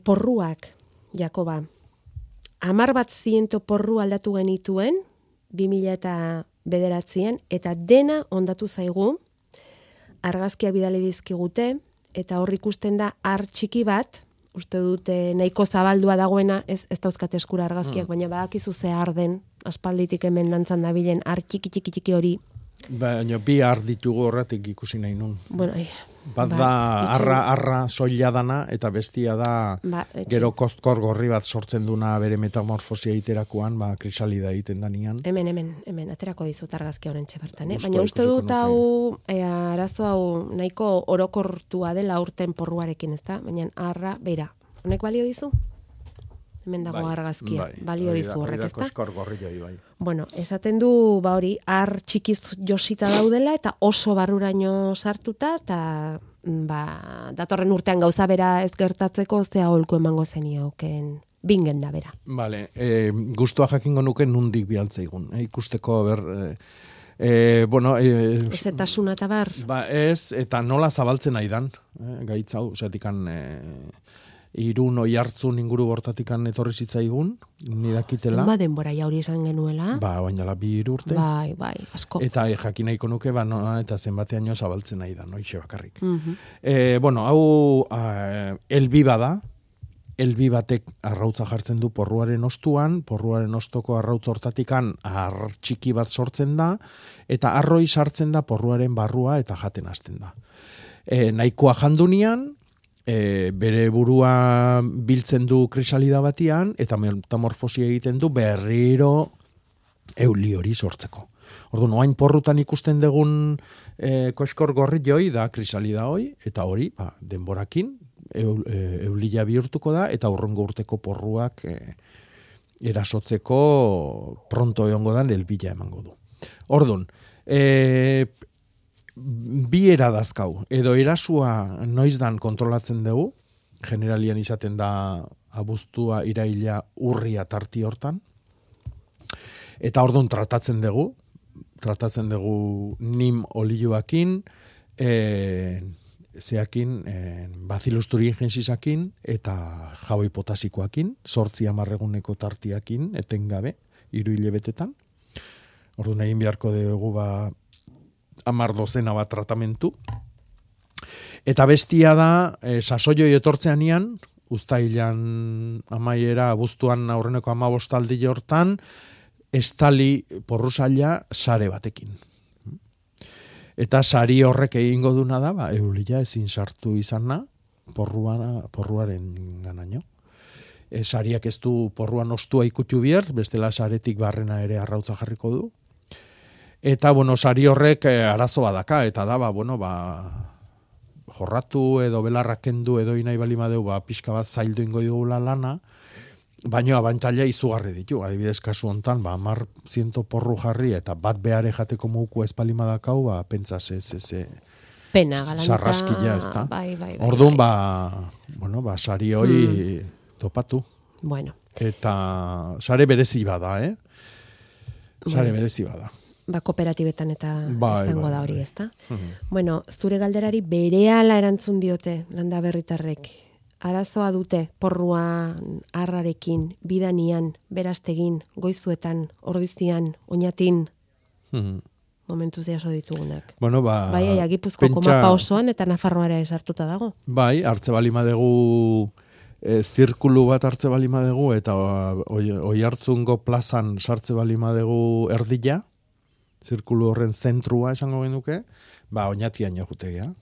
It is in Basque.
Porruak, Jakoba. 10.000 porru aldatu genituen, 2009an, eta dena ondatu zaigu, argazkia bidali dizkigute, eta hor ikusten da ar txiki bat, uste dute nahiko zabaldua dagoena, ez dauzkat eskura argazkiak, baina badakizu ze ar den, aspalditik hemen dantzan dabilen ar txiki hori. Baina bi ar ditugu horretik ikusi nahi nun. Bueno, bat da arra soila dana, eta bestia da gero kostkor gorri bat sortzen duna bere metamorfosia iterakoan, krisalida egiten danian. Hemen, aterako dizut argazki horren txebertan. Baina uste dut hau, arazo hau nahiko orokortua dela urten porruarekin, ez da? Baina arra, beira, honek balio dizu? Hemen dago argazkia, balio dizu horrek, ez da? Kostkor gorri joi, bai. Bueno, esaten du, hori, ar txikiz josita daudela, eta oso barruraino sartuta, eta datorren urtean gauza bera ez gertatzeko, ze aholku emango zenioken bingen da bera. Vale, gustua jakingo nuke nundik bialtzaigun, ikusteko bueno... Ez eta suna eta bar? Ez, eta nola zabaltzen aidan, gaitzau, zetikan... Irun Oiartzun inguru bortatikan etorri zitzaigun, nirakitela. Denbora jauri esan genuela. Baina 2 urte. Bai, asko. Eta jakin nahiko nuke, eta zenbateaino zabaltzen nahi da, noixe bakarrik. Bueno, hau elbi bada, elbi batek arrautza jartzen du porruaren ostuan, porruaren ostoko arrautz hortatikan ar txiki bat sortzen da, eta arroi sartzen da porruaren barrua eta jaten hasten da. Nahikoa jandunian, bere burua biltzen du krisalida batian, eta metamorfosia egiten du berriro euli hori sortzeko. Orduan, oain porrutan ikusten dugun koskor gorri joi da krisalida hoi, eta hori, denborakin, eulila bihurtuko da, eta urrengo urteko porruak erasotzeko pronto egongo dan elbila emango du. Orduan, bi eradazkau, edo erasua noizdan kontrolatzen dugu, generalian izaten da abuztua, iraila, urria tarti hortan, eta orduan tratatzen dugu nim olioakin, Bacillus thuringiensisakin, eta jaboi potasikoakin, 8-10 tartiakin, etengabe, 3 hilebetetan. Orduan egin beharko dugu 10 bat tratamentu. Eta bestia da, sasoioi etortzeanian, uztailan amaiera, abuztuan aurreneko 15 aldi hortan, estali porrusaila sare batekin. Eta sari horrek egingo duna da, eulila ezin sartu izana, porruaren ganaino. Sariak ez du porruan ostua ikutu bier, bestela saretik barrena ere arrautza jarriko du. Eta, sari horrek arazo badaka, eta da, jorratu edo belarrak kendu edo inai bali madeu, pixka bat zaildu ingo digula lana, baina abantaila izugarri ditu. Adibidez, kasu hontan, 10.000 porru jarri, eta bat behare jateko muku ez bali madakau, pentsa pena, galanta. Sarraskila, ez da. Bai. Orduan, sari hori topatu. Bueno. Eta sare berezi bada, Sare berezi bada. Kooperatibetan eta izango da hori, ezta? Bueno, zure galderari berehala erantzun diote landa berritarrek. Arazoa dute porrua arrarekin, bidanian, berastegin, goizuetan, ordizian, oinatin, momentuz jaso ditugunak. Bai, Gipuzkoako mapa osoan eta Nafarroara esartuta dago. Bai, hartze bali madegu zirkulu bat hartze bali madegu, eta Oiartzungo plazan sartze bali madegu erdila, zirkulu horren zentrua esango genuke, oinatian jokutegea.